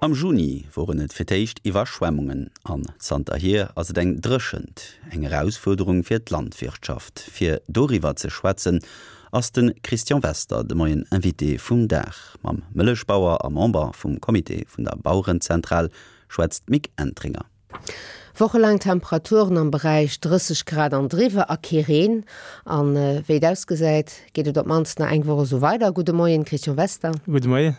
Am Juni woren et fir d'éischt Iwwerschwemmungen an zanterhier ass et eng Dréchent, eng Erausfuerderung fir d'Landwirtschaft. Fir doriwwer ze schwätzen, ass de Christian Wester de Moien Invité vum Dag. Mam Mëllechbauer a Member vum Comité vun der Bauerenzentral schwätzt d'Mick Entringer. Wochelaang Temperaturen am Beräich 30 Grad an driwwer a kee Reen. An wéi et ausgesäit, geet et op d'mannst nach eng Woch esou weider. Gudde Moien, Christian Wester. Gudde Moien.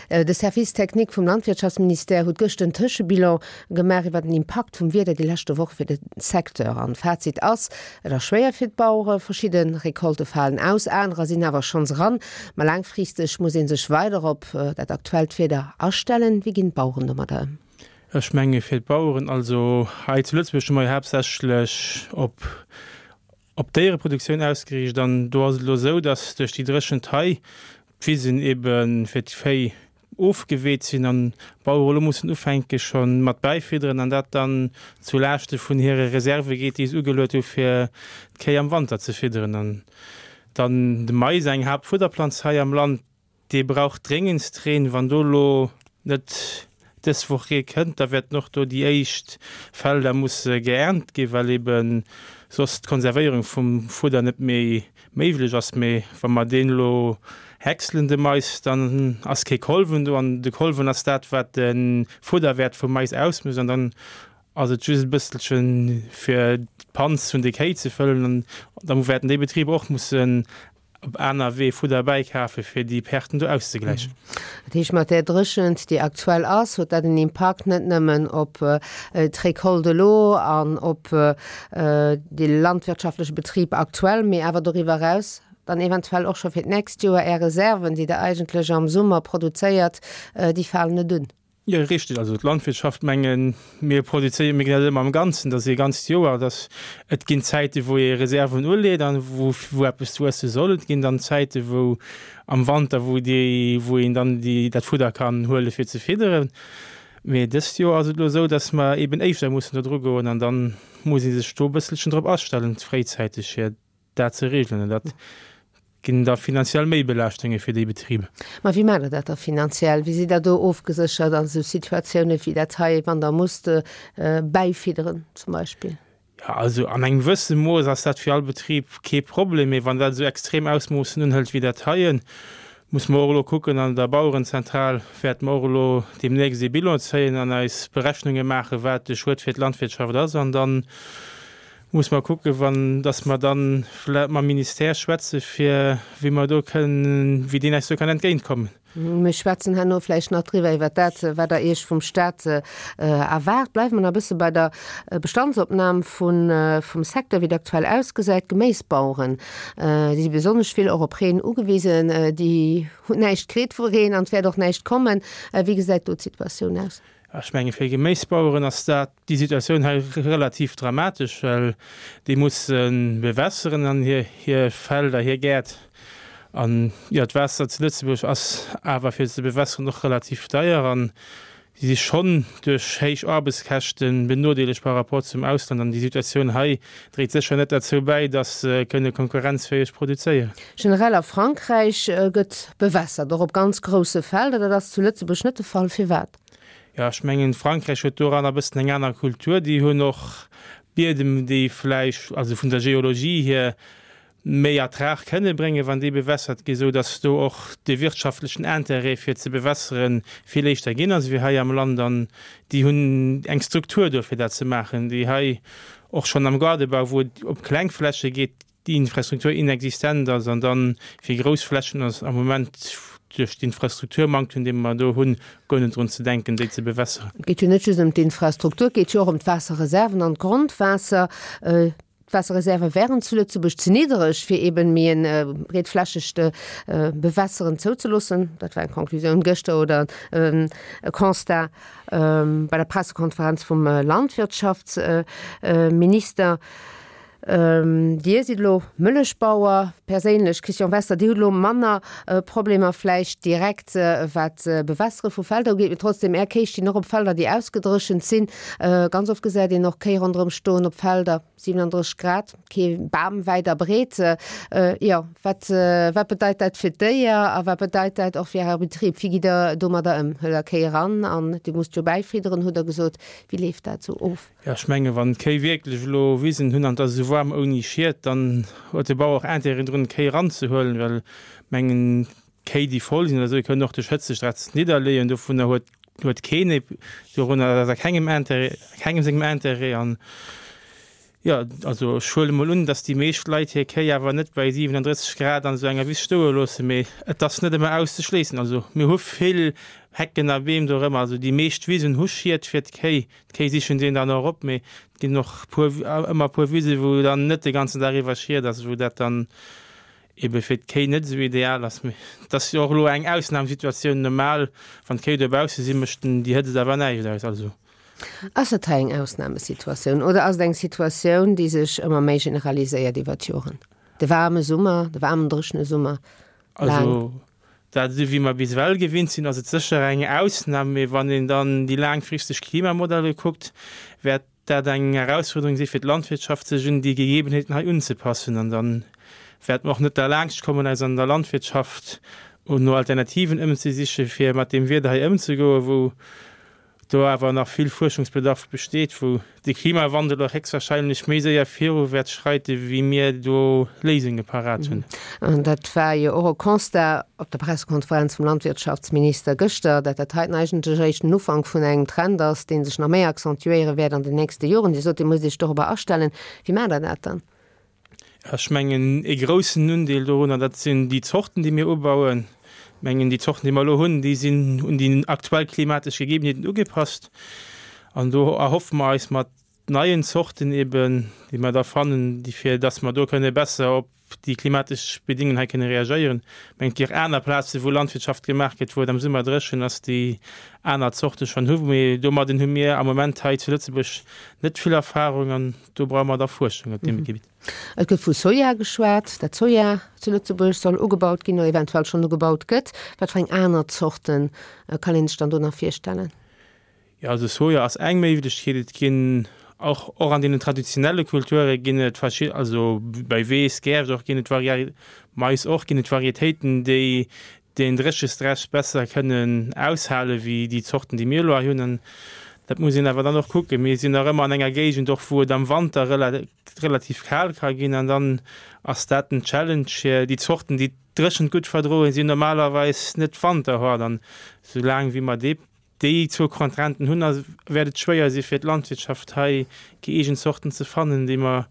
De Service technique vum Landwirtschaftsministère huet gëscht en Tëschebilan gemaach iwwer den Impakt vum Wieder déi leschte Woche fir de Secteur. An Fazit ass, Et ass schwéier fir d'Bauere, verschidde Recolte falen aus, anerer sinn awer schonns eran. Ma laangfristeg muss ee sech weider op dat aktuellt Wieder astellen. Wéi ginn d'Baueren domadder ëm? Ech menge fir d'Baueren, also hei zu Lëtzebuerg hu mer jo haaptsächlech op op d'Déiereproduktioun ausgeriicht an do ass et elo esou, datt duerch déi Dréchent hei d'Wisen ebe fir d'Véi ofgeweet sinn an d'Bauere elo mussen ufänke scho mat bäifidderen an dat dann zu Laaschte vun hire Reserve geet, déi se ugeluet hu fir d'Kéi am Wanter ze fidderen. An dann de Mais, eng Haaptfudderplanz hei am Land, Dee brauch dréngendst Reen. Wann do elo net dës Woch Ree kënnt, da wäerten och do déi éischt Felder musse geernt ginn, well ebe soss d'Konservéierung vum Fudder net méi méiglech ass. Mee wa mer deen elo häckselen, de Mais, dann ass kee Kolwen do an de Kolwen ass dat, wat de Fudderwäert vum Mais ausmécht an dann ass et just e bësselche fir d'Panz vun de Kéi ze fëllen an da wäerten déi Betriber och mussen op aner Wee Fudder bäikafe fir déi Perten do auszegläichen. Dat heescht, mat där Dréchent, déi aktuell ass, huet dat en Impakt net nëmmen op d'Recolte elo an op de landwirtschaftleche Betrib aktuell, mee awer doriwwer eraus dann eventuell och scho fir d'nächst Joer. Är Reserven, déi Der eigentlech am Summer produzéiert, déi falen net un. Jo, richteg. Also d'Landwirtschaft, mengen, mir produzéieren, mir ginn dat ëmmer am Ganzen, dat ass ee ganzt Joer, dass et ginn Zäite wou ee Reserven uleet an wou wou eppes wuesse soll. Et ginn dann Zäite wou am Wanter, wou déi wou een dann déi dat Fudder kann huele fir ze fidderen. Mee dëst Joer ass et elo esou, dass mer eben éischter mussen do dru goen an dann muss ee sech do e bësselchen drop astellen, fréizäiteg fir dat ze regeln. An dat ginn da finanziell Méibelaaschtunge fir déi Betriber. Ma wéi maacht Der dat da finanziell? Wéi sidd Der do ofgeséchert an esou Situatiounen wéi dat hei, wann Der musst bäifidderen zum Beispill? Jo, also an engem gewësse Mooss ass dat fir all Betrib kee Problem. Mee wann dat esou extrem Ausmoossen unhëlt wéi dat heien, muss mer och elo kucken, an der Bauerenzentral wäerte mer och elo deemnächst ee Bilan zéien an eis Berechnunge maachen, wat de Schued fir d'Landwirtschaft ass. An dann Muss mer kucken, wann, dass mer dann vlä mam Ministère schwätze fir wéi mer do kënnen, wéi deen eis do kann entgéintkommen. Mir schwätzen herno vläicht nach driwwer, iwwer dat, wat Der Iech vum Stat erwaart. Bleiwe mer nach e bësse bei der Bestandsopnam vun, vum Secteur, wéi et aktuell ausgesäit. D'Geméisbaueren, déi si besonnesch vill och op Reen ugewisen. Déi hunn näischt kritt vu Reen an et wäert och näischt kommen. Wéi gesäit do d'Situatioun aus? Ech menge fir Geméisbaueren ass dat déi Situatioun hei relativ dramatesch, well déi musse bewässeren an hir hir Felder, hir Gäert. An jo, d'Waasser zu Lëtzebuerg ass awer fir ze bewässeren och relativ deier an si si schonn duerch héich Aarbechtskäschte benodeelegt par rapport zum Ausland. An déi Situatioun hei dréit sécher net derzou bäi, datt se kënne konkurrenzfäeg produzéieren. Generell a Frankräich gëtt bewässert, och op ganz grousse Felder. Dat ass zu Lëtzebuerg net de Fall. Firwat? Jo, ech mengen, Frankräich huet doranner e bëssen eng aner Kultur. Déi hunn och Biedem, déi vläicht, also vun der Geologie hier, méi Ertrag kënne bréngen, wann déi bewässert ginn, esou datt do och de wirtschaftlechen Intérêt fir ze bewässere vill éischter ginn ass wéi hei am Land. An déi hunn eng Struktur do fir dat ze maachen, déi hei och schonn am Gaardebau, wou et op kleng Fläche geet, déi Infrastruktur inexistent ass an dann fir grouss Flächen ass am Moment duerch d'Infrastrukturmanktem, dee mer do hunn, guer net drun ze denken, déi ze bewässeren. Et geet jo net just ëm d'Infrastruktur, et geet jo och ëm d'Waasserreserven an d'Grondwaasser. D'Waasserreserve wären zu Lëtzebuerg ze niddereg, fir eben méi e breetflächegt Bewässeren zouzeloossen. Dat war eng Conclusioun gëschter oder e Constat bei der Pressekonferenz vum Landwirtschaftsminister. Dir sidd elo Mëllechbauer perséinlech, Christian Wester, Dir hutt elo manner Problemer vläicht direkt wat d'Bewässere vu Felder ugeet, mee trotzdem, Är Kéi stinn och op Felder, déi ausgedréchent sinn. Ganz oft gesäit een och Kéi ronderëm stoen op Felder, 37 Grad, kee Bam wäit a breet. Jo, wat wat bedeit dat fir d'Déier a wat bedeit dat och fir Äre Betrib? Wéi gitt Der domadder ëm? Huelt Der Kéi eran an Dir musst jo bäifidderen, hutt Der gesot. Wéi leeft dat esou of? Jo, ech mengen, wann d'Kéi wierklech elo Wisen hunn an et ass esou waarm ouni Schied, dann huet de Bauer och Intérêt drun, d'Kéi eranzehuelen, well mengen, Kéi, déi voll sinn oder esou, déi kënnen och duerch Hëtzestress nidderleeën. Dovunner huet, huet keen ee, dorunner ass a kengem Intérêt, kengem sengem Intérêt. An jo, also ech huele mol un, datt déi meescht Leit hir Kéi awer net bei 37 Grad an esou enger Wiss stoe loossen, mee et ass net ëmmer auszeschléissen. Also mir hu vill Hecken a Beem dorëmmer, also déi meescht Wisen hu Schied fir d'Kéi. D'Kéi sichen deen dann och op, mee et ginn och puer, ëmmer puer Wise wou dann net de ganzen Dag iwwer Schied ass, wou dat dann ebe fir d'Kéi net esou ideal ass. Mee et ass jo och elo eng Ausnamsituatioun, normal wann d'Kéi dobausse sinn, mécht den déi Hëtzt awer näischt aus. Also. Ass dat hei eng Ausnamesituatioun oder ass et eng Situatioun, déi sech ëmmer méi generaliséiert iwwer d'Joren? De waarme Summer, de waarmen dréchene Summer, laang. Also dat esou wéi mer bis ewell gewinnt sinn, ass et sécher eng Ausnam, mee wann een dann déi laangfristeg Klimamodelle kuckt, wäert dat eng Erausfuerderung si fir d'Landwirtschaft, sech un déi Gegebenheeten hei unzepassen. An da wäerte mer och net derlaanscht kommen, eis an der Landwirtschaft no Alternativen ëmzesichen, fir mat deem Wieder hei ëmzegoen, wou do awer nach vill Fuerschungsbedarf besteet, wou de Klimawandel och héchstwahrscheinlech méi séier viru wäert schreite wéi mir do Léisunge parat hunn. An dat war jo och e Constat op der Pressekonferenz vum Landwirtschaftsminister gëschter, dat dat heiten eigentlech eréischt den Ufank vun engem Trend ass, dee sech nach méi accentuéiere wäert an den nächste Joren. Dir sot, Dir musst Iech dorobber astellen. Wéi maacht Der dat dann? Ech mengen, ee groussen Undeel dorunner, dat sinn déi Zorten, déi mir ubauen. Ech mengen, déi Zorten, déi mer elo hunn, déi sinn un déi aktuell klimatesch Gegebenheeten ugepasst. An do erhoffe mer eis mat neien Zorten eben, déi mer da fannen, déi fir dass mer do kënne besser op déi klimatesch Bedingungen hei kënne reagéieren. Ech mengen, et gi och aner Plazen, wou Landwirtschaft gemaach gëtt, wou et am Summer dréchen ass, déi aner Zorte schonn hu. Mee domadden hu mir am Moment hei zu Lëtzebuerg net vill Erfahrung an Do brauche mer da Fuerschung op deem Gebitt. Et gëtt vu Soja geschwat, dat Soja zu Lëtzebuerg soll ugebaut ginn oder eventuell schonn ugebaut gëtt. Wat fir eng aner Zorte kann een sech dann do nach virstellen? Jo, also Soja ass eng Méiglechkeet. Et ginn och, och an deenen traditionelle Kulture ginn et verschid-, also bei Weess, Gärscht och ginn et Varié-, Mais och, ginn et Varietéiten, déi deen Dréchestress besser kënnen aushale wéi déi Zorten, déi mir elo hei hunn. An dat muss een awer dann och kucken. Mir sinn nach ëmmer an enger Géigend och, wou et am Wanter relativ kal ka ginn. An dann ass dat den Challenge fir déi Zorten, déi d'Dréchent gutt verdroen, sinn normalerweis net wanterhart. An soulaang wéi mer déi zwou Contrainten hunn, wäert et schwéier si fir d'Landwirtschaft hei gëeegent Zorten ze fannen, déi mer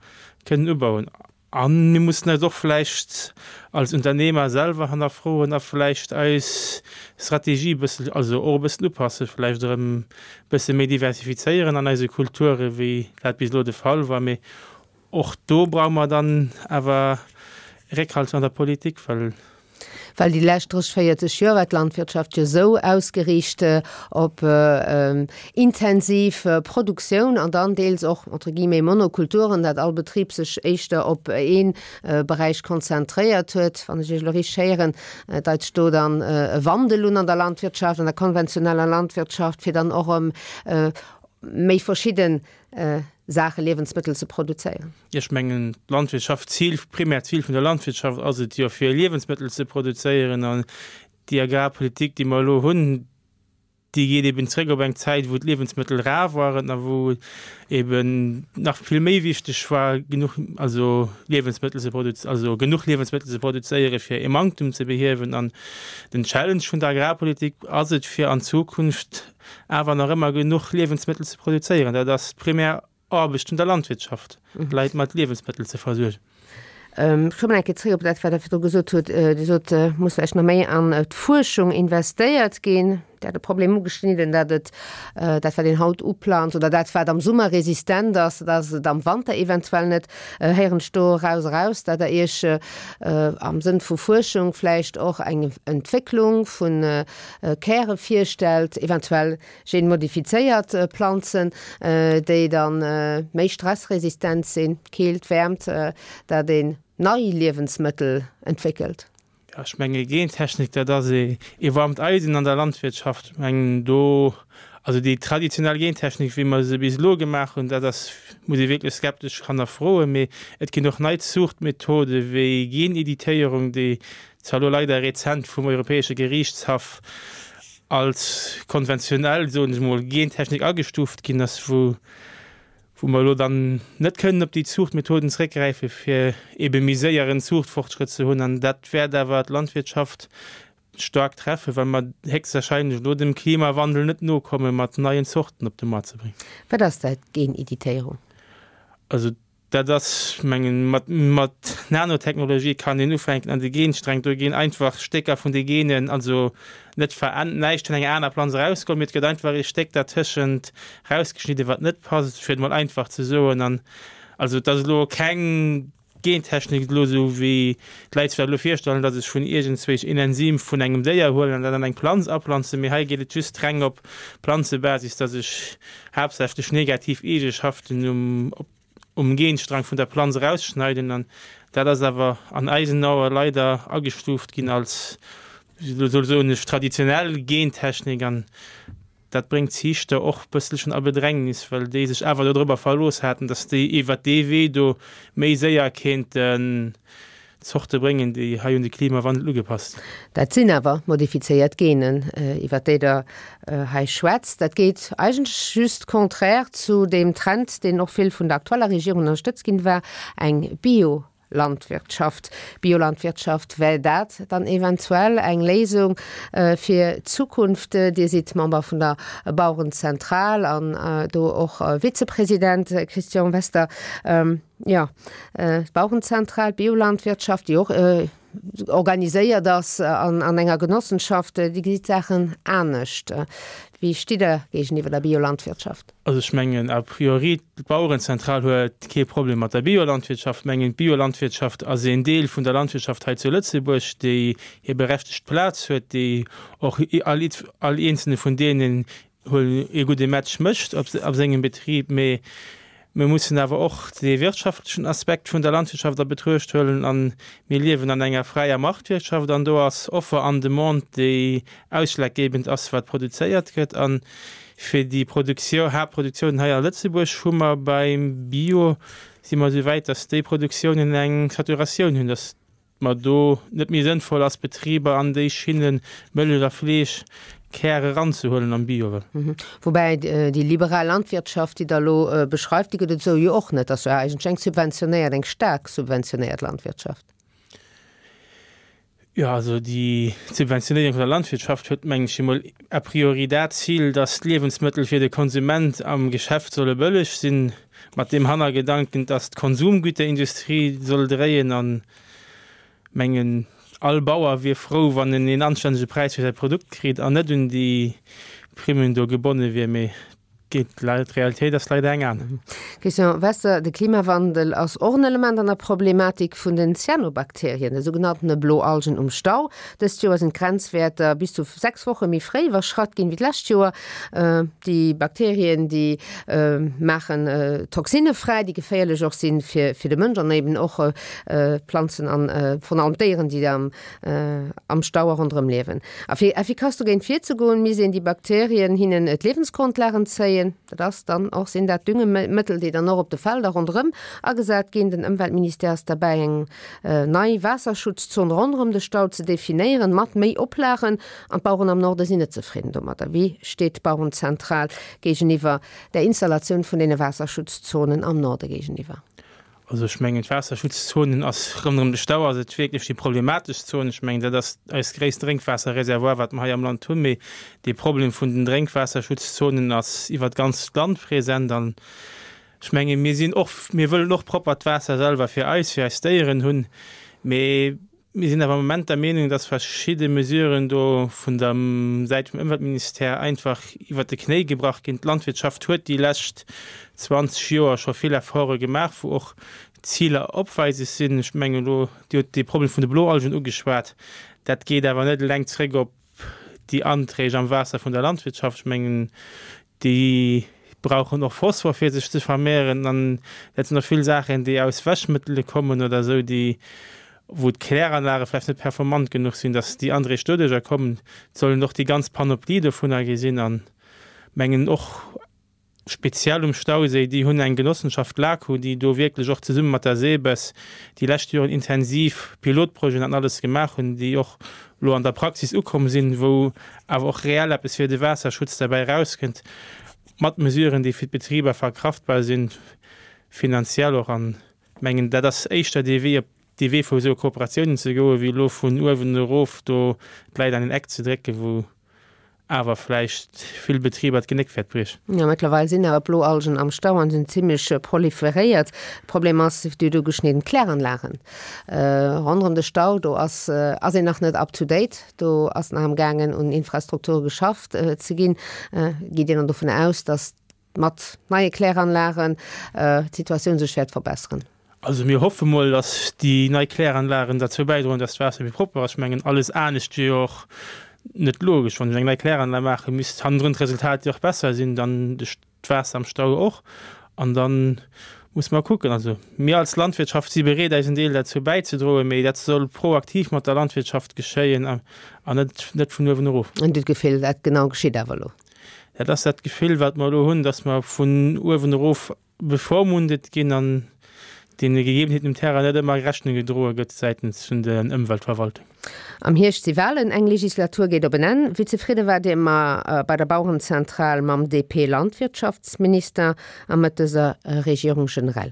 kënnen ubauen. A mir mussen eis och vläicht als Unternehmer selwer hannerfroen a vläicht eis Strategie e bëssen, also och e bëssen upassen, vläicht erëm e bësse méi diversifizéieren an eise Kulture wéi dat bis elo de Fall war. Mee och do brauche mer dann awer Réckhalt an der Politik, well Well déi lescht 30, 40 Joer war d'Landwirtschaft jo esou ausgeriicht op intensiv Produktioun an dann deels och entre guillemets Monokulturen, dat all Betrib sech éischter op ee Beräich konzentréiert huet. Wann ech Iech elo richteg héieren, deit sech do dann e Wandel un an der Landwirtschaft, an der konventioneller Landwirtschaft, fir dann och erëm méi verschidde Saache, Liewensmëttel ze produzéieren. Ech mengen, d'Landwirtschaft, d'Zil, d'primäert Zil vun der Landwirtschaft ass et jo, fir Liewensmëttel ze produzéieren. An déi Agrarpolitik, déi mer elo hunn, déi geet eben zréck op eng Zäit, wou d'Liewensmëttel rar waren a wou eben nach vill méi wichteg war, genuch, also Liewensmëttel ze produz-, also genuch Liewensmëttel ze produzéieren, fir e Manktum ze behiewen. An den Challenge vun der Agrarpolitik ass et, fir an Zukunft awer nach ëmmer genuch Liewensmëttel ze produzéieren. Dat ass d'primär Aarbecht vun der Landwirtschaft, d'Leit mat Liewensmëttel ze versuergen. Ech kommen eng Kéier zréck op dat, wat Der virdru gesot hutt. Dir sot, et muss vläicht nach méi an d'Fuerschung investéiert ginn. Dir hat e Problem ugeschnidden, dat et, dat wat een haut uplanzt oder dat wat am Summer resistent ass, dat ass et am Wanter eventuell net. Héieren ech do eraus eraus, dat Der Iech am Sënn vu Fuerschung vläicht och eng Entwécklung vu Käre virstellt, eventuell genmodifizéiert Planzen, déi da méi stressresistent sinn, Keelt, Wäermt, dat een nei Liewensmëttel entwéckelt? Jo, ech menge Gentechnik, dat ass ee waarmt Eisen an der Landwirtschaft. Ech mengen do, also déi traditionell Gentechnik, wéi mer se bis elo gemaach hunn, dat ass, muss ee wierklech skeptesch hannerfroen. Mee et ginn och nei Zuuchtmethode wéi Geneditéierung, déi zwar elo leider rezent vum Europäesche Geriichtshaff als konventionell, soen ech emol, Gentechnik agestuuft ginn ass, wou wou mer elo dann net kënnen op déi Zuuchtmethoden zréckgräifen, fir ebe méi séier en Zuuchtfortschrëtt ze hunn. An dat wäert awer d'Landwirtschaft staark treffen, well mer héchstwahrscheinlech elo dem Klimawandel net nokomme mat neien Zorten op de Moart ze bréngen. Wat ass dat, Geneditéierung? Also Dat ass, mengen, mat, mat Nanotechnologie kann een ufänken an de Gensträng, do ginn einfach Stécker vun de Genen, also net veränt, näischt vun enger aner Planz erausgeholl, mee et gëtt einfach ee Stéck dertëschent rausgeschnidden, wat net passt, fir et mol einfach ze soen. An also et ass elo keng Gentechnik elo esou wéi d'Leit sech dat elo virstellen, datt ech vun iergendzwéich een Enzym vun engem Déier huelen an dat an eng Planz aplanzen, mee hei geet et just reng op Planzebasis, datt ech haaptsächlech negativ Eegeschaften um, op um Genstrang vun der Planz erausschneiden an dat ass awer an eisen Ae leider agestuuft ginn als, soll soen ech, traditionell Gentechnik an dat bréngt d'Ziichter och bësselchen a Bedrängnis, well déi sech awer dodrobber verlooss haten, datt déi iwwert dee Wee do méi séier kéinten Zorte bréngen, déi hei un de Klimawandel ugepasst sinn. Dat sinn awer modifizéiert Genen, iwwert déi Der hei schwätzt. Dat geet eigentlech just contraire zu deem Trend, deen och vill vun der aktueller Regierung ënnerstëtzt ginn war, eng Biolandwirtschaft. Biolandwirtschaft, wär dat dann eventuell eng Léisung fir d'Zukunft? Dir sidd Member vun der Bauerenzentral an do och Vizepresident, Christian Wester. Jo, d'Bauerenzentral, d'Biolandwirtschaft, déi och organiséiert ass an enger Genossenschaft, déi gesit d'Saachen anescht. Wéi stitt Der géigeniwwer der Biolandwirtschaft? Also ech mengen a priori, d'Bauerenzentral huet kee Problem mat der Biolandwirtschaft. Ech mengen, d'Biolandwirtschaft ass een Deel vun der Landwirtschaft hei zu Lëtzebuerg, déi hir berechtegt Plaz huet, déi och all eenzelne vun deenen huel ee gudde Match mécht op sengem Betrib, mee mir mussen awer och dee wirtschaftlechen Aspekt vun der Landwirtschaft a Betruecht huelen a mir liewen an enger fräier Marktwirtschaft an do ass Offer an Demande, déi ausschlaggebend ass, wat produzéiert gëtt. A fir déi Produktioun, Haaptproduktiounen hei a Lëtzebuerg hu mer beim Bio, si mer esou wäit, datt déi Produktiounen eng Saturatioun hunn, datt mer do net méi sënnvoll ass, Betriber an déi Schinne Mëllech a Fleesch Kär eranzehuelen am Bio. Woubäi déi liberal Landwirtschaft, déi Der elo beschreift, déi gëtt et esou jo och net. Dat ass jo eigentlech eng subventionéiert, eng staark subventionéiert Landwirtschaft. Jo, also déi Subventionéierung vun der Landwirtschaft huet, mengen ech emol, a priori dat Zil, dass d'Liewensmëttel fir de Konsument am Geschäft solle bëlleg sinn, mat deem Hannergedanken, dass d'Konsumgüterindustrie soll dréien. An mengen, all Bauer wier frou, wann en een anstännege Präis fir säi Produkt kritt an net un déi Primmen do gebonne wier. Mee D'Realitéit ass leider eng aner. Christian Wester, De Klimawandel ass och en Element an der Problematik vun den Cyanobakterien, de sougenanntene Bloalgen um Stau. Dëst Joer sinn d'Grenzwäerter bis zu 6 Woche méi fréi iwwerschratt ginn wéi d'lescht Joer. Déi Bakterien, déi maachen Toxinne fräi, déi geféierlech och sinn fir de Mënsch an eben och d'Planzen an vrun allem d'Déieren, déi am am Stau a ronderëm liewen. A fir effikass dogéint virzegoen, misst een déi Bakterien hinnen d'Liewensgrondlag entzéien. Dat ass dann och, sinn dat Düngemëttel, déi dann och op de Felder ronderëm agesat ginn. Den Ëmweltministère ass derbäi, eng nei Waasserschutzzon ronderëm de Stau ze definéieren, mat méi Oplagen. An d'Baueren am Norde sinn net zefridden domadder. Wéi steet d'Bauerenzentral géigeniwwer der Installatioun vun deene Waasserschutzzonen am Norde géigeniwwer? Also ech mengen, d'Waasserschutzzonen ass ronderëm de Stau ass et wierklech déi problematesch Zon. Ech mengen, dat ass eist gréisst Drénkwaasserreservoir, wat mer hei am Land hunn. Mee dee Problem vun den Drénkwaasserschutzzonen ass iwwer d'ganzt Land present. An ech menge mir sinn och, mir wëllen och proppert Waasser selwer fir eis, fir eis Déieren hunn. Mee. Mir sinn awer am Moment der Meenung, dass verschidde Mesuren do vun der Säit vum Ëmweltministère einfach iwwert de Knéi gebrach ginn. D'Landwirtschaft huet déi lescht 20 Joer scho vill Efforte gemaach, wou och Ziler opweises sinn. Ech mengen elo, Dir hutt dee Problem vun de Bloalgen ugeschwat. Dat geet awer net eleng zréck op déi Anträg am Waasser vun der Landwirtschaft. Ech mengen, déi brauchen och Phosphor, fir sech ze vermehren. An dat sinn och vill Saachen, déi aus Wäschmëttele kommen oder esou, déi, wou d'Kläranlage vläicht net performant genuch sinn, dass déi Anträg doduerjer kommen. Et sollen och déi ganz Panoplie dovunner gesinn an mengen och, Speziell um Stauséi, déi hunn eng Genossenschaft, l'ACU, déi do wierklech och zesumme mat der SEBES déi lescht Joren intensiv Pilotprojeten an alles gemaach hunn, déi och elo an der Praxis ukomm sinn, wou awer och reell eppes fir de Waasserschutz derbäi erauskënnt, mat Mesuren, déi fir d'Betriber verkraftbar sinn, finanziell och. An mengen, dat ass éischter dee Wee, op dee Wee vu esou Kooperatiounen ze goen, wéi elo vun uewen erof do d'Leit an een Eck ze drécken, wou awer vläicht vill Betriber d'Genéck wäert briechen. Jo, mëttlerweil sinn awer Bloalgen am Stau an sinn zimmlech proliferéiert. Problem ass, déi do geschnidden Kläranlagen ronderëm de Stau, do ass ass een nach net up to date, do ass nach am gaangen un Infrastrukture geschafft ze ginn. Geet Dir dann dovun aus, datt mat neie Kläranlagen d'Situatioun sech wäert verbesseren? Also mir hoffe mol, datt déi nei Kläranlagen derzou bäidroen, datt d'Waasser méi propper ass. Ech mengen, alles anescht wier jo och net logesch. Wann ech eng nei Kläranlag maachen, misst hannendrun d'Resultat jo och besser sinn, dann d'Waasser am Stau och. An da musse mer kucken. Also mir als Landwirtschaft si bereet, eisen Deel derzou bäizedroen, mee dat soll proaktiv mat der Landwirtschaft geschéien an net net vun uewen erof. An Dir hutt d'Gefill, dat genau geschitt awer elo? Dat ass dat Gefill, wat mer elo hunn, datt mer vun uewen erof bevormundet ginn an deene Gegebenheeten um Terrain net ëmmer Rechnung gedroe gëtt säitens vun der Ëmweltverwaltung. Am Hierscht si Walen, eng Legislatur geet op en Enn. Wéi zefridde waart Dir bei der Bauerenzentral mam DP-Landwirtschaftsminister a mat dëser Regierung generell?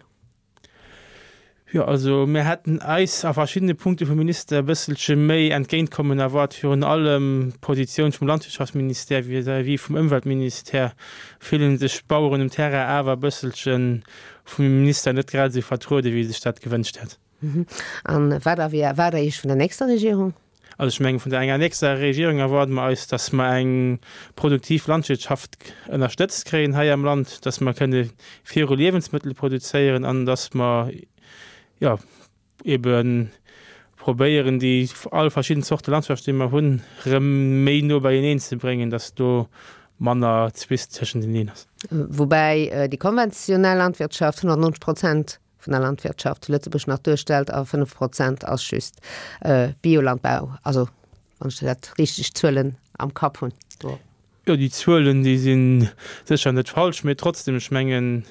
Jo, also mir hätten eis a verschiddene Punkte vum Minister e bësselche méi Entgéintkommen erwaart, virun allem d'Positioun vum Landwirtschaftsministère vis-à-vis vum Ëmweltministère fillen sech d'Baueren um Terrain awer e bësselche vum Minister net grad esou vertruede wéi sech dat gewënscht hätt. A wat erwaart Der Iech vun der nächster Regierung? Also ech mengen, vun der enger nächster Regierung erwaarde mer eis, dass mer eng produktiv Landwirtschaft ënnerstëtzt kréien hei am Land, dass mer kënne viru Liewensmëttel produzéieren an dass mer, jo, ebe probéieren, déi all verschidden Zorte Landwirtschaft, déi mer hunn, erëm méi no beieneen ze bréngen, dass do manner Zwist tëschenteneen ass. Woubäi déi konventionell Landwirtschaft 190 Prozent vun der Landwirtschaft zu Lëtzebuerg nach duerstellt a 5 Prozent ass just Biolandbau, also wann ech dat richteg Zuelen am Kapp hunn do. Jo, déi Zuelen, déi si sécher net falsch, mee trotzdem, ech mengen,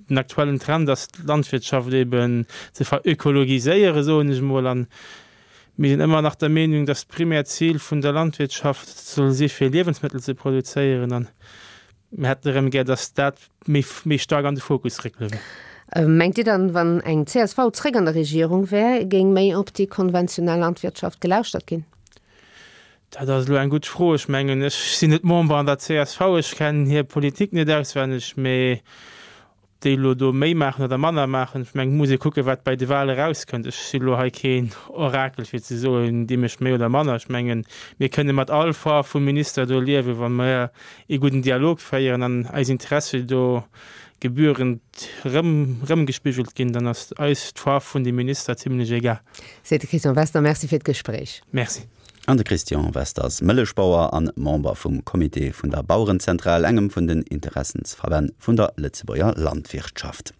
den aktuellen Trend ass d'Landwirtschaft eben ze verökologiséieren, soen ech emol, an mir sinn ëmmer nach der Meenung, datt d'primäert Zil vun der Landwirtschaft soll si fir Liewensmëttel ze produzéieren an Mir hätten erëm gär, dass dat méi, méi staark an de Fokus réckele wär. Mengt Dir dann, wann eng csv zréck an der Regierung wär, géing méi op déi konventionell Landwirtschaft gelauschtert ginn? Dat ass elo eng gutt Fro. Ech mengen, ech sinn net Member an der csv, ech kennen hir Politik net auswenneg, mee Ob déi elo do méi maachen oder manner maachen, ech mengen, et muss ee kucken, wat bei de Wale erauskënnt. Ech si elo hei keen Orakel, fir ze soen, dee mécht méi oder manner. Ech mengen, mir kënne mat all Faarf vum Minister do liewen, wa mer ee gudden Dialog féieren an eis Interessi do gebührend erëm, erëmgespigelt ginn, dann ass eis d'Faarf vun dem Minister zimlech egal. Seet de Christian Wester. Merci fir d'Gespréich. Merci. An de Christian Wester ass Mëllechbauer an Member vum Comité vun der Bauerenzentral, engem vun den Interessensverbänn vun der Lëtzebuerger Landwirtschaft.